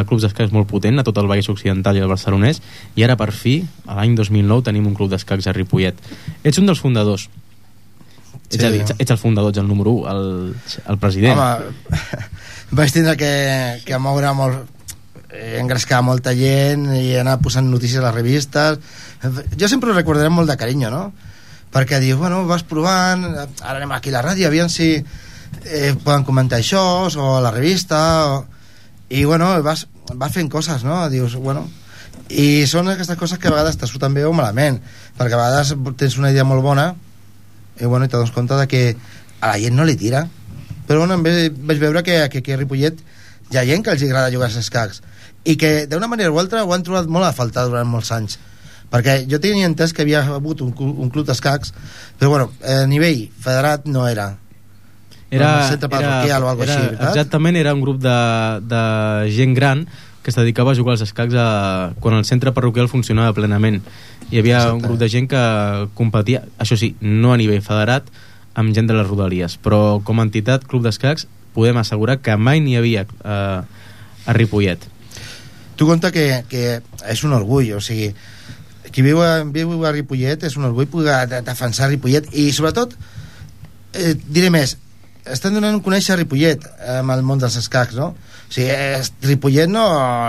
Speaker 1: clubs d'escacs molt potent a tot el Vallès Occidental i el Barcelonès, i ara per fi, a l'any dos mil nou, tenim un club d'escacs a Ripollet. Ets un dels fundadors. Sí. Ets, a dir, ets, ets el fundador, ets el número u, el, el president.
Speaker 2: Home, vaig tindre que, que moure molt, engrescar molta gent i anar posant notícies a les revistes. Jo sempre ho recordaré molt de carinyo, no? Perquè dius, bueno, vas provant, ara anem aquí a la ràdio, aviam si eh, poden comentar això, o a la revista, o... i bueno, vas, vas fent coses, no? Dius, bueno, i són aquestes coses que a vegades te surten bé o malament, perquè a vegades tens una idea molt bona i bueno, i te dones compte de que a la gent no li tira, però bueno, vaig veure que, que aquí a Ripollet hi ha gent que els agrada jugar als escacs i que d'una manera o altra ho han trobat molt a faltar durant molts anys, perquè jo tenia entès que havia hagut un, un club d'escacs, però bueno, a nivell federat no era
Speaker 1: era,
Speaker 2: un centre parroquial o alguna cosa així, veritat?
Speaker 1: Exactament, era un grup de, de gent gran que es dedicava a jugar als escacs a, quan el centre parroquial funcionava plenament. Hi havia Exacte. Un grup de gent que competia, això sí, no a nivell federat, amb gent de les rodalies, però com a entitat club d'escacs podem assegurar que mai n'hi havia eh, a Ripollet.
Speaker 2: Tu compta que, que és un orgull, o sigui, qui viu a, viu a Ripollet és un orgull poder defensar Ripollet i sobretot, eh, diré més, estan donant un conèixer a Ripollet amb el món dels escacs, no? O sigui, eh, Ripollet no,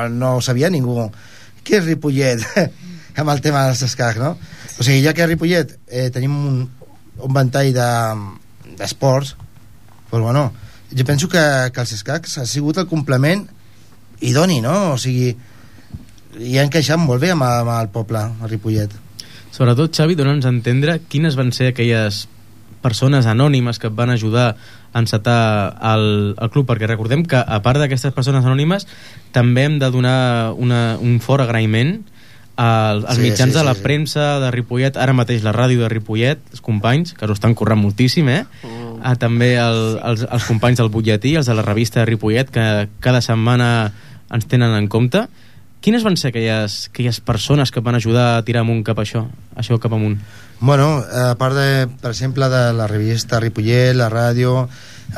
Speaker 2: no ho sabia ningú. Què és Ripollet? amb el tema dels escacs, no? O sigui, ja que a Ripollet eh, tenim un, un ventall d'esports, de, doncs bueno, jo penso que, que els escacs ha sigut el complement idoni, no? O sigui, hi ha encaixat molt bé amb, amb el poble, a Ripollet.
Speaker 1: Sobretot, Xavi, dona'ns a entendre quines van ser aquelles persones anònimes que et van ajudar a encetar el, el club, perquè recordem que a part d'aquestes persones anònimes també hem de donar una, un fort agraïment als, als
Speaker 2: Sí,
Speaker 1: mitjans
Speaker 2: sí,
Speaker 1: de la
Speaker 2: sí, sí.
Speaker 1: premsa de Ripollet, ara mateix la ràdio de Ripollet, els companys, que s'ho estan currant moltíssim, eh?
Speaker 4: Mm.
Speaker 1: Ah, també el, els, els companys del butlletí, els de la revista de Ripollet, que cada setmana ens tenen en compte. Quines van ser aquelles, aquelles persones que van ajudar a tirar amunt cap a això, això cap amunt?
Speaker 2: Bueno, a part de, per exemple, de la revista Ripollet, la ràdio,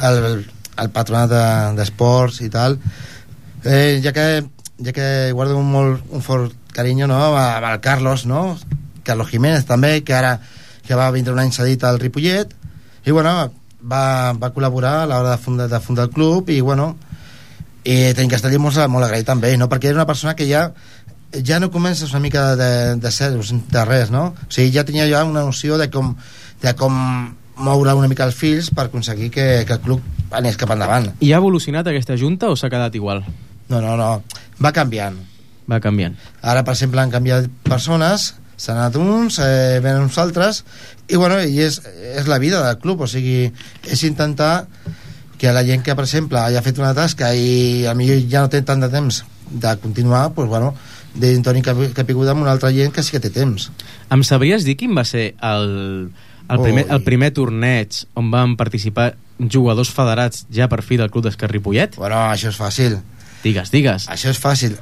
Speaker 2: el, el patronat de- d'esports i tal, eh, ja que ja que guardo un, molt, un fort carinyo, no?, amb el Carlos, no?, Carlos Jiménez també, que ara que va vindre un any cedit al Ripollet, i bueno, va, va col·laborar a l'hora de fundar, de fundar el club, i bueno, i tenim que estar molt, molt agraït també, no?, perquè era una persona que ja ja no comences una mica de, de ser de res, no? O sigui, ja tenia ja una noció de com, de com moure una mica els fils per aconseguir que, que el club anés cap endavant.
Speaker 1: I ha evolucionat aquesta junta o s'ha quedat igual?
Speaker 2: No, no, no, va canviant.
Speaker 1: Va canviant.
Speaker 2: Ara, per exemple, han canviat persones, s'han anat uns, eh, venen uns altres, i bueno, i és, és la vida del club, o sigui, és intentar que la gent que, per exemple, hagi fet una tasca i a millor ja no té tant de temps de continuar, doncs bueno, d'un Toni Capiguda amb una altra gent que sí que té temps.
Speaker 1: Em sabries dir quin va ser el, el, primer,
Speaker 2: Ui.
Speaker 1: el primer torneig on van participar jugadors federats ja per fi del Club d'Esquer Ripollet?
Speaker 2: Bueno, això és fàcil.
Speaker 1: Digues, digues.
Speaker 2: Això és fàcil.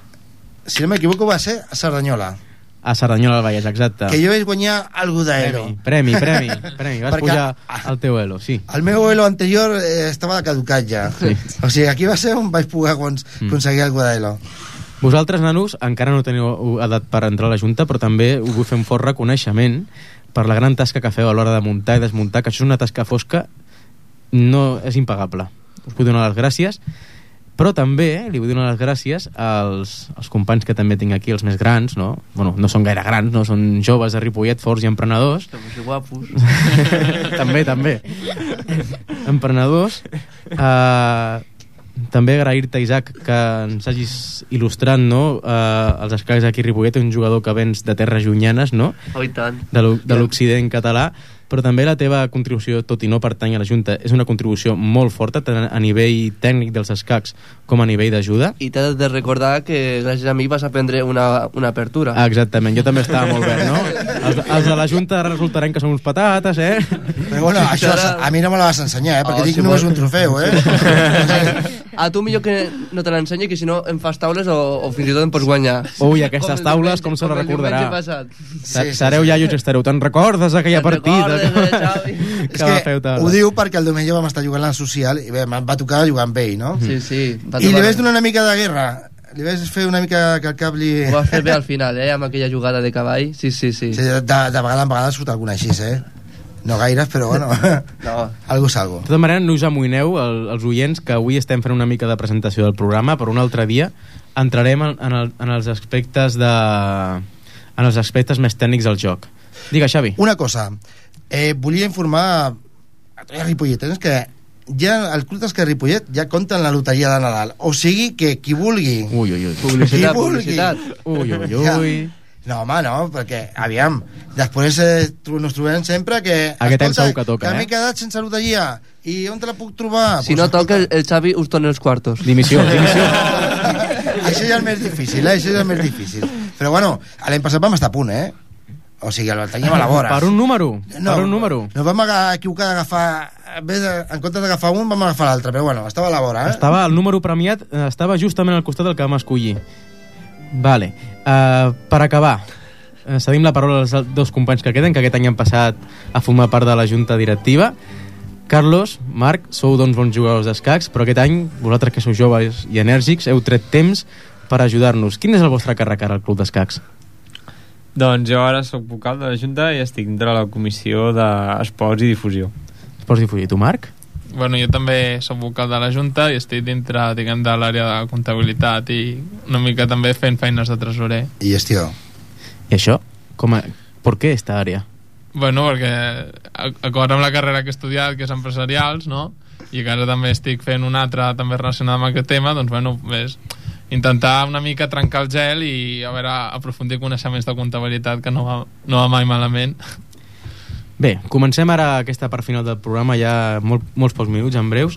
Speaker 2: Si no m'equivoco va ser a Cerdanyola.
Speaker 1: A Cerdanyola del Vallès, exacte.
Speaker 2: Que jo vaig guanyar algú d'Elo.
Speaker 1: Premi, premi, premi, premi. Vas
Speaker 2: Perquè-
Speaker 1: pujar al teu elo, sí.
Speaker 2: El meu elo anterior eh, estava caducat ja.
Speaker 1: Sí.
Speaker 2: O sigui, aquí va ser on vaig poder cons
Speaker 1: Mm.
Speaker 2: aconseguir algú d'Elo.
Speaker 1: Vosaltres, nanos, encara no teniu edat per entrar a la Junta, però també us vull fer un fort reconeixement per la gran tasca que feu a l'hora de muntar i desmuntar, que això és una tasca fosca, no és impagable. Us vull donar les gràcies, però també eh, li vull donar les gràcies als, als companys que també tinc aquí, els més grans, no? Bueno, no són gaire grans, no? Són joves de Ripollet, forts i emprenedors.
Speaker 4: Estamos guapos.
Speaker 1: també, també. Emprenedors. Uh, també agrair-te, Isaac, que ens hagis il·lustrat, no? Uh, els escacs aquí a Ripollet, un jugador que vens de terres llunyanes, no?
Speaker 4: Oh, i tant.
Speaker 1: De l'o- de l'Occident català, però també la teva contribució, tot i no pertany a la Junta, és una contribució molt forta, tant a nivell tècnic dels escacs com a nivell d'ajuda.
Speaker 4: I t'he de recordar que gràcies a mi vas aprendre una, una apertura.
Speaker 1: Ah, exactament, jo també estava molt verd, no? Els, els de la Junta resultaran que són uns patates, eh?
Speaker 2: Però bueno, això a mi no me la vas ensenyar, eh? Perquè
Speaker 4: Oh,
Speaker 2: dic
Speaker 4: si
Speaker 2: només
Speaker 4: vol.
Speaker 2: un trofeu, eh?
Speaker 4: A tu millor que no te l'ensenyi, que si no em fas taules o, o fins i tot em pots guanyar.
Speaker 1: Ui, aquestes
Speaker 4: el
Speaker 1: taules,
Speaker 4: diumenge-
Speaker 1: com se la
Speaker 4: el diumenge
Speaker 1: recordarà?
Speaker 4: passat.
Speaker 1: Sí, Sereu sí, iaios, estareu. Te'n recordes aquella
Speaker 4: Te'n
Speaker 1: partida?
Speaker 4: recordes, eh, Xavi?
Speaker 2: És
Speaker 1: que va fer
Speaker 2: que
Speaker 1: taula.
Speaker 2: ho diu perquè el diumenge vam estar jugant a la social i bé, em va tocar jugar amb ell, no?
Speaker 4: Sí, sí. va
Speaker 2: I li
Speaker 4: tocar-
Speaker 2: vaig donar una mica de guerra. Li vaig fer una mica que el cap li...
Speaker 4: Ho vas fer bé al final, eh, amb aquella jugada de cavall. Sí, sí, sí.
Speaker 2: Sí, de, de vegada en vegada surt alguna així, eh? No gaires, però bueno,
Speaker 4: No.
Speaker 2: algo és algo.
Speaker 1: De tota manera, no us amoïneu, el, els oients, que avui estem fent una mica de presentació del programa, però un altre dia entrarem en, en, el, en els aspectes de... en els aspectes més tècnics del joc. Digue, Xavi.
Speaker 2: Una cosa, eh, volia informar a tots els ripolletens que ja el Club d'Esquer Ripollet ja compta en la loteria de Nadal. O sigui que qui vulgui...
Speaker 1: Ui, ui, ui.
Speaker 4: Publicitat,
Speaker 2: Qui vulgui.
Speaker 4: publicitat.
Speaker 1: Ui, ui, ui.
Speaker 2: No, home, no, perquè, aviam, després eh, tro- nos trobem sempre que...
Speaker 1: Aquest any
Speaker 2: escolta,
Speaker 1: segur que toca,
Speaker 2: que
Speaker 1: eh?
Speaker 2: m'he quedat sense loteria. I on te la puc trobar?
Speaker 4: Si
Speaker 2: Pues,
Speaker 4: no toca, el, el Xavi us torna els quartos.
Speaker 1: Dimissió, dimissió.
Speaker 2: Això ja és més difícil, eh? Això ja és més difícil. Però bueno, l'any passat vam estar a punt, eh? O sigui, el teníem a la vora.
Speaker 1: Per un número.
Speaker 2: No,
Speaker 1: per un número.
Speaker 2: No vam aga- equivocar d'agafar... En vez de- en comptes d'agafar un, vam agafar l'altre. Però bueno, estava a la vora, eh?
Speaker 1: Estava, el número premiat eh, estava justament al costat del que vam escollir. Vale. Uh, per acabar, uh, cedim la paraula als dos companys que queden, que aquest any han passat a formar part de la junta directiva. Carlos, Marc, sou doncs bons jugadors d'escacs, però aquest any, vosaltres que sou joves i enèrgics, heu tret temps per ajudar-nos. Quin és el vostre càrrec ara al Club d'Escacs?
Speaker 5: Doncs jo ara sóc vocal de la Junta i estic dintre la comissió d'Esports i Difusió.
Speaker 1: Pots difudir tu, Marc?
Speaker 7: Bueno, jo també soc vocal de la Junta i estic dintre, diguem, de l'àrea de comptabilitat i una mica també fent feines de tresorer.
Speaker 2: I gestió.
Speaker 1: I això? Com a... Per què esta àrea?
Speaker 7: Bueno, perquè a- acord amb la carrera que he estudiat, que és empresarials, no? I que ara també estic fent una altra també relacionada amb aquest tema, doncs bueno, és intentar una mica trencar el gel i a veure, aprofundir coneixements de comptabilitat, que no va, no va mai malament.
Speaker 1: Bé, comencem ara aquesta part final del programa, ja molt, molts pocs minuts, en breus.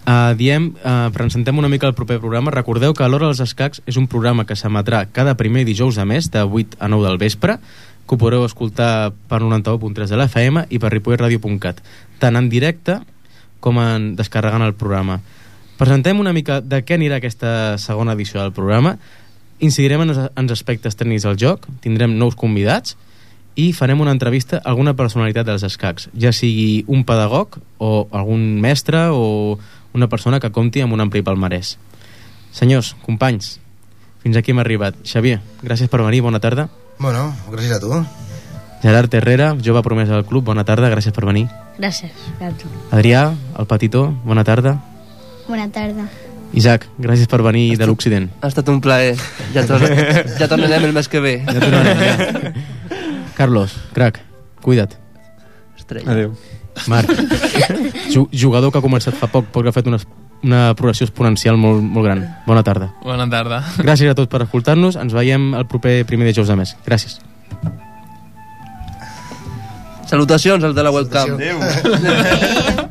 Speaker 1: Uh, diem, uh, presentem una mica el proper programa. Recordeu que l'Hora dels Escacs és un programa que s'emetrà cada primer dijous de mes de vuit a nou del vespre, que ho podreu escoltar per noranta-u punt tres de l'F M i per ripoll radio punt cat, tant en directe com en descarregant el programa. Presentem una mica de què anirà aquesta segona edició del programa, incidirem en els aspectes tècnics del joc, tindrem nous convidats i farem una entrevista a alguna personalitat dels escacs, ja sigui un pedagog o algun mestre o una persona que compti amb un ampli palmarès. Senyors, companys, fins aquí hem arribat. Xavier, gràcies per venir, bona tarda.
Speaker 2: Bueno, gràcies a tu.
Speaker 1: Gerard Herrera, jove promesa del club, bona tarda, gràcies per venir.
Speaker 3: Gràcies, a tu.
Speaker 1: Adrià, el petitó, bona tarda.
Speaker 6: Bona tarda.
Speaker 1: Isaac, gràcies per venir de l'Occident.
Speaker 4: Ha estat un plaer. Ja, tor ja tornarem el mes que ve.
Speaker 1: Ja tornarem, ja. Carlos, crac, cuida't.
Speaker 4: Estrella.
Speaker 5: Adéu.
Speaker 1: Marc, jugador que ha començat fa poc perquè ha fet una, una progressió exponencial molt, molt gran. Bona tarda.
Speaker 7: Bona tarda.
Speaker 1: Gràcies a tots per escoltar-nos. Ens veiem el proper primer dijous de mes. Gràcies.
Speaker 4: Salutacions als de la webcam.
Speaker 5: Adéu.